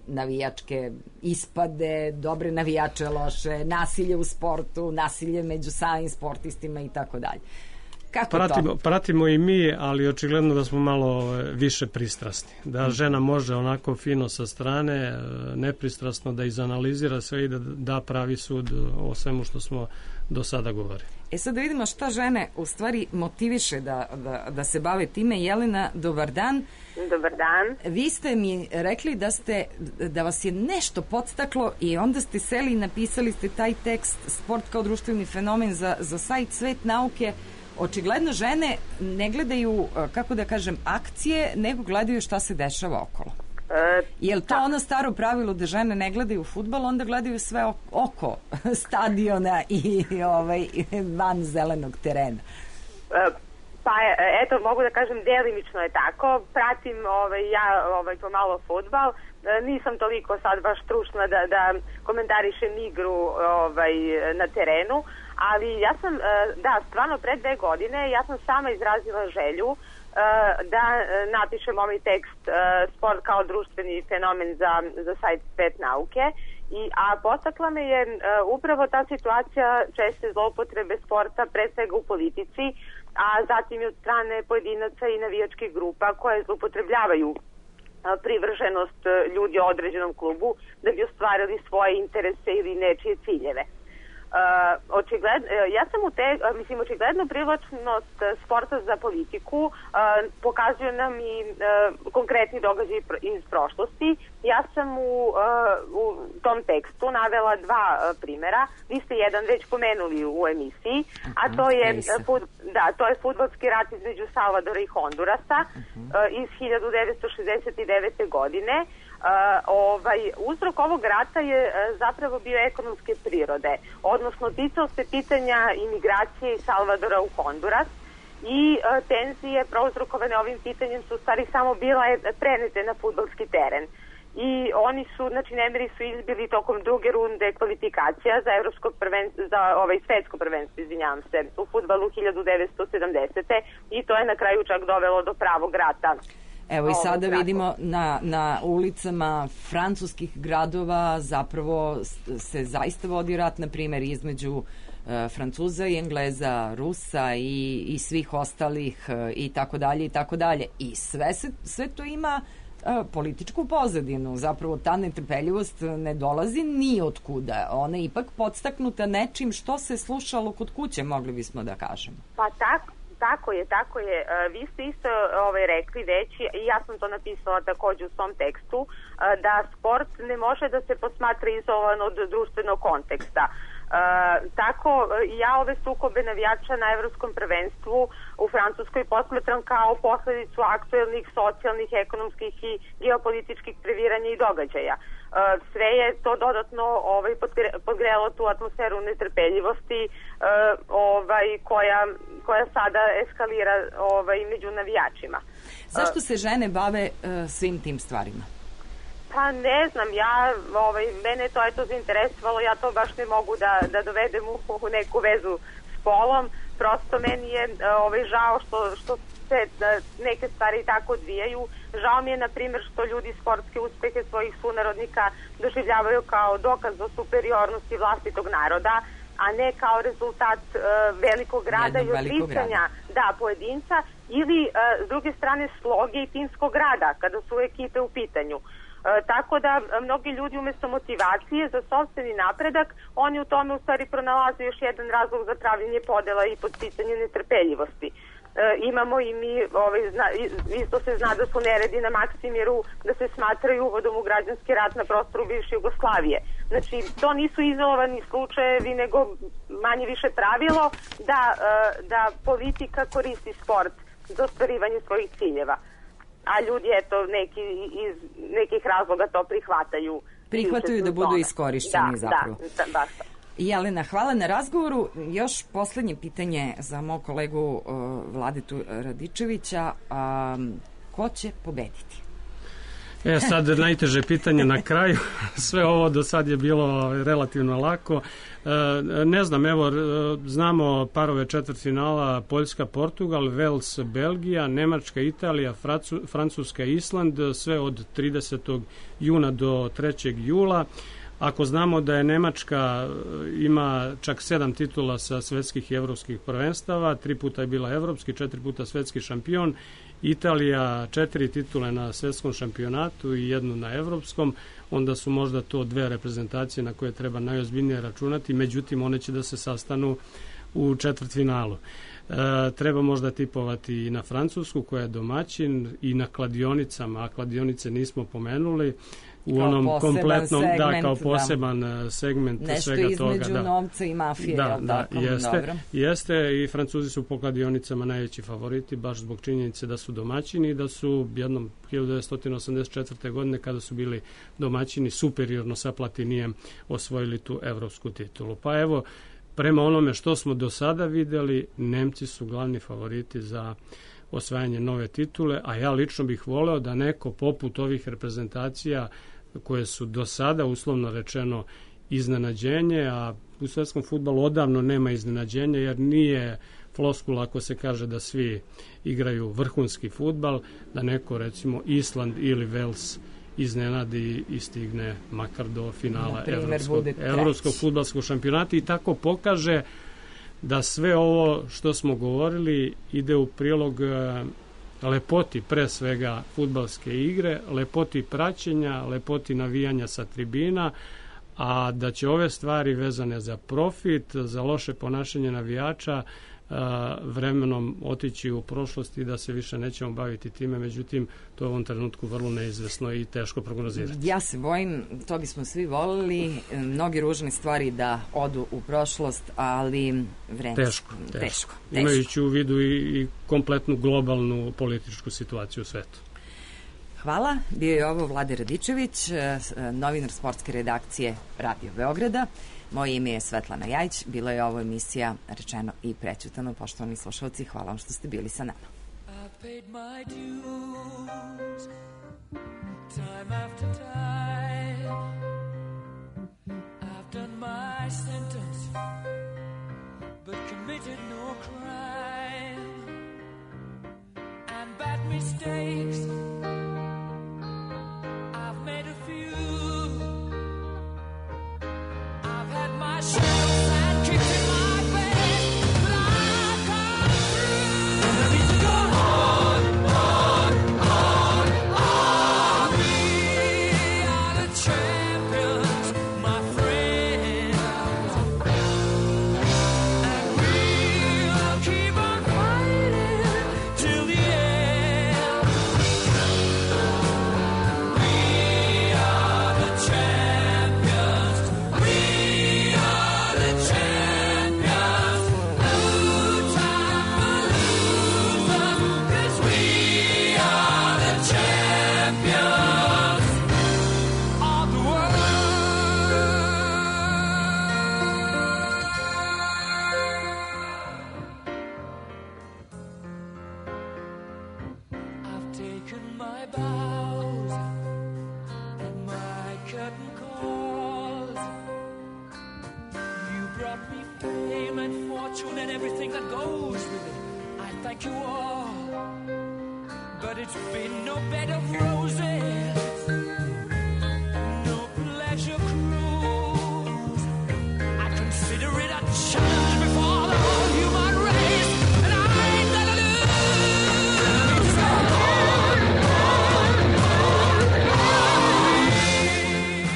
navijačke ispade, dobre navijače, loše, nasilje u sportu, nasilje među samim sportistima i tako dalje. Pratimo i mi, ali očigledno da smo malo više pristrasni. Da žena može onako fino sa strane, nepristrasno da izanalizira sve i da da pravi sud o svemu što smo do sada govorili. Sad da vidimo šta žene u stvari motiviše da se bave time. Jelena, dobar dan. Dobar dan. Vi ste mi rekli da vas je nešto podstaklo i onda ste seli i napisali ste taj tekst Sport kao društveni fenomen za sajt Svet nauke. Očigledno žene ne gledaju, kako da kažem, akcije, nego gledaju šta se dešava okolo. Je li to ono staro pravilo da žene ne gledaju fudbal, onda gledaju sve oko stadiona i van zelenog terena? Pa eto, mogu da kažem delimično je tako. Pratim pomalo fudbal. Nisam toliko sad baš stručna da komentarišem igru na terenu, ali ja sam, stvarno pre 2 godine ja sam sama izrazila želju da napišem ovaj tekst Sport kao društveni fenomen za sajt Svet nauke, a podstakla me je upravo ta situacija česte zloupotrebe sporta, pre svega u politici, a zatim i od strane pojedinaca i navijačkih grupa koje zloupotrebljavaju privrženost ljudi o određenom klubu da bi ostvarili svoje interese ili nečije ciljeve. Očigledno privlačnost sporta za politiku pokazuju nam i konkretni događaji iz prošlosti. Ja sam u tom tekstu navela 2 primjera. Vi ste jedan već pomenuli u emisiji, a to je fudbalski rat između Salvadora i Hondurasa iz 1969. godine. Uzrok ovog rata je zapravo bio ekonomske prirode, odnosno ticao se pitanja imigracije iz Salvadora u Honduras i tenzije prouzrokovane ovim pitanjem su u stvari samo bile prenete na fudbalski teren. I oni su, nemiri su izbili tokom 2. runde kvalifikacija za svetsko prvenstvo, u fudbalu 1970. i to je na kraju čak dovelo do pravog rata. Evo i sada vidimo na ulicama francuskih gradova zapravo se zaista vodi rat, na primjer, između Francuza i Engleza, Rusa i svih ostalih i tako dalje i tako dalje. I sve to ima političku pozadinu. Zapravo ta netrpeljivost ne dolazi ni od kuda. Ona je ipak podstaknuta nečim što se slušalo kod kuće, mogli bismo da kažemo. Pa tako je. Vi ste isto rekli već, i ja sam to napisala također u svom tekstu, da sport ne može da se posmatra izolovan od društvenog konteksta. Tako ja ove sukobe navijača na evropskom prvenstvu u Francuskoj posmatram kao posledicu aktuelnih socijalnih, ekonomskih i geopolitičkih previranja i događaja. Sve je to dodatno podgrelo tu atmosferu netrpeljivosti koja sada eskalira među navijačima. Zašto se žene bave svim tim stvarima? Pa ne znam, mene je to zainteresovalo, ja to baš ne mogu da dovedem u neku vezu s polom, prosto meni je žao što se neke stvari tako odvijaju. Žao mi je, na primjer, što ljudi sportske uspehe svojih sunarodnika doživljavaju kao dokaz o superiornosti vlastitog naroda, a ne kao rezultat velikog rada i odricanja pojedinca, ili s druge strane sloge i timskog rada kada su ekipe u pitanju. Tako da mnogi ljudi umjesto motivacije za sopstveni napredak, oni u tome u stvari pronalaze još jedan razlog za pravljenje podela i podsticanje netrpeljivosti. Imamo i mi, isto se zna da su neredi na Maksimiru, da se smatraju uvodom u građanski rat na prostoru bivše Jugoslavije. Znači, to nisu izolovani slučajevi, nego manje više pravilo da politika koristi sport za ostvarivanje svojih ciljeva. A ljudi, neki iz nekih razloga to prihvataju. Prihvataju da budu iskorišćeni zapravo. Da, baš. Jelena, hvala na razgovoru. Još poslednje pitanje za mog kolegu Vladetu Radičevića. Ko će pobediti? Sad najteže pitanje na kraju. Sve ovo do sad je bilo relativno lako. Ne znam, evo, znamo parove četvrtfinala Poljska-Portugal, Vels-Belgija, Nemačka-Italija, Francuska-Island, sve od 30. juna do 3. jula. Ako znamo da je Nemačka ima čak 7 titula sa svetskih i evropskih prvenstava, 3 puta je bila evropski, 4 puta svetski šampion, Italija 4 titule na svetskom šampionatu i 1 na evropskom, onda su možda to 2 reprezentacije na koje treba najozbiljnije računati, međutim one će da se sastanu u četvrtfinalu. Treba možda tipovati i na Francusku koja je domaćin i na kladionicama, a kladionice nismo pomenuli, u onom kompletnom, kao poseban segment svega toga. Nešto između novca i mafije, jeste i Francuzi su po kladionicama najveći favoriti, baš zbog činjenice da su domaćini i da su jednom 1984. godine kada su bili domaćini superiorno sa Platinijem osvojili tu evropsku titulu. Pa evo, prema onome što smo do sada videli, Nemci su glavni favoriti za osvajanje nove titule, a ja lično bih voleo da neko poput ovih reprezentacija koje su do sada, uslovno rečeno, iznenađenje, a u svetskom fudbalu odavno nema iznenađenja, jer nije floskula ako se kaže da svi igraju vrhunski fudbal, da neko, recimo, Island ili Vels iznenadi i stigne makar do finala evropskog fudbalskog šampionata i tako pokaže da sve ovo što smo govorili ide u prilog lepoti pre svega fudbalske igre, lepoti praćenja, lepoti navijanja sa tribina, a da će ove stvari vezane za profit, za loše ponašanje navijača vremenom otići u prošlost i da se više nećemo baviti time, međutim to je u ovom trenutku vrlo neizvesno i teško prognozirati. Ja se bojim, to bismo svi volili, mnogi ružne stvari da odu u prošlost, ali vreme. Teško. Imajući u vidu i kompletnu globalnu političku situaciju u svetu. Hvala, bio je ovo Vlade Radičević, novinar sportske redakcije Radio Beograda. Moje ime je Svetlana Jajić, bila je ovo emisija Rečeno i prećutano. Poštovani slušalci, hvala vam što ste bili sa nama. I paid my dues, time after time. I've done my sentence, but committed no crime. And bad mistakes, I've made a few. I've had my shadows and kicks in my bed, but I've come through. And I need to go on. We are the champions, my friends, and we'll keep on fighting till the end. taken my vows and my curtain calls. You brought me fame and fortune and everything that goes with it. I thank you all, but it's been no bed of roses, no pleasure cruise. I consider it a challenge before the whole human race, and I ain't gonna lose.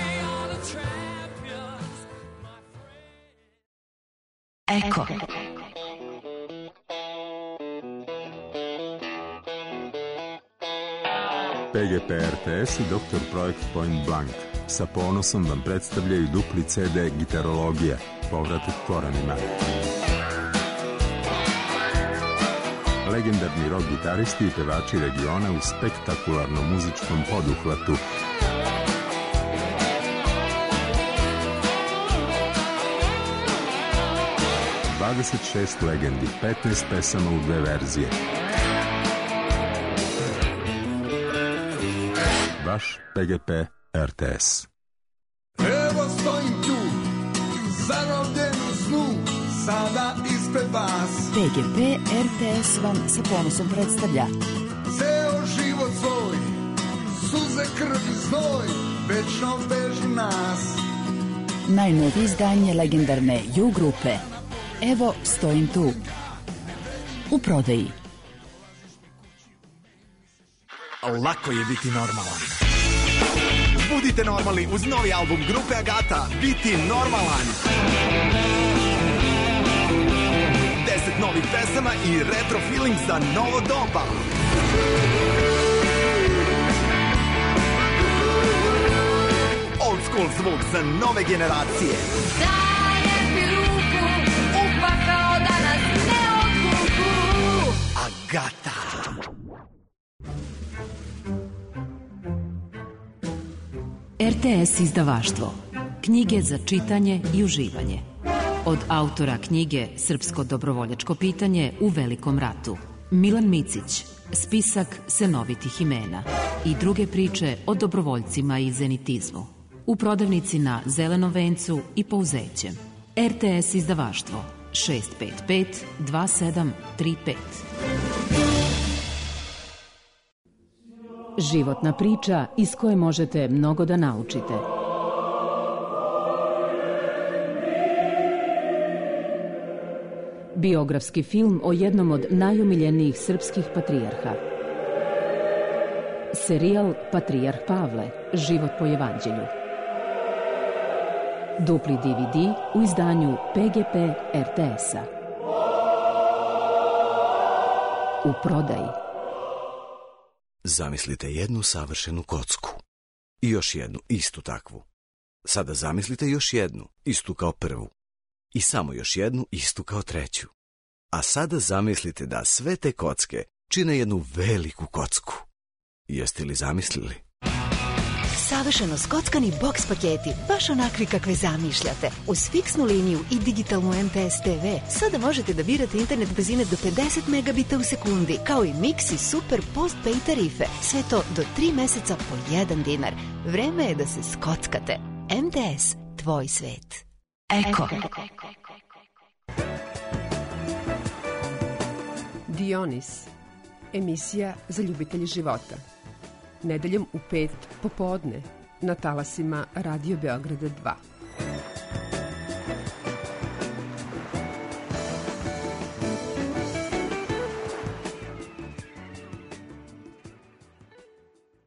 We are the champions, my friend. Eko. PGP RTS i Dr. Projekt Point Blank sa ponosom vam predstavljaju dupli CD Gitarologija, povratak korenima. Legendarni rock gitaristi i pevači regiona u spektakularnom muzičkom poduhvatu. ...26 legendi, 15 pesama u 2 verzije. Vaš PGP RTS. Evo stojim tu, zarobljen u snu, sada ispred vas. PGP RTS vam sa ponosom predstavlja Ceo život svoj, suze, krv i znoj, večno vežu nas. najnovije izdanje legendarne U grupe Evo stojim tu. U prodaji. Lako je biti normalan. Budite normalni uz novi album grupe Agata, Biti normalan. 10 novih pesama i retro feeling za novo doba. Old school zvuk za nove generacije. Dajem ti ruku, upakao da nas ne odvuku. Agata. RTS izdavaštvo. Knjige za čitanje i uživanje. Od autora knjige Srpsko dobrovoljačko pitanje u Velikom ratu. Milan Micić, spisak senovitih imena i druge priče o dobrovoljcima i zenitizmu. U prodavnici na Zelenom vencu i Pouzećem. RTS izdavaštvo 655 2735. Životna priča iz koje možete mnogo da naučite. Biografski film o jednom od najomiljenijih srpskih patrijarha. Serijal Patrijarh Pavle, život po evanđelju. Dupli DVD u izdanju PGP RTS-a. U prodaji. Zamislite jednu savršenu kocku. I još jednu, istu takvu. Sada zamislite još jednu, istu kao prvu. I samo još jednu, istu kao treću. A sada zamislite da sve te kocke čine jednu veliku kocku. Jeste li zamislili? Savršeno skockani boks paketi, baš onakvi kakve zamišljate. Uz fiksnu liniju i digitalnu MTS TV sada možete da birate internet brzine do 50 megabita u sekundi, kao i Mix i Super Postpay tarife. Sve to do 3 meseca po 1 dinar. Vreme je da se skockate. MTS, tvoj svet. Eko. Dionis, emisija za ljubitelje života. Nedeljom u 5 popodne na talasima Radio Beograda 2.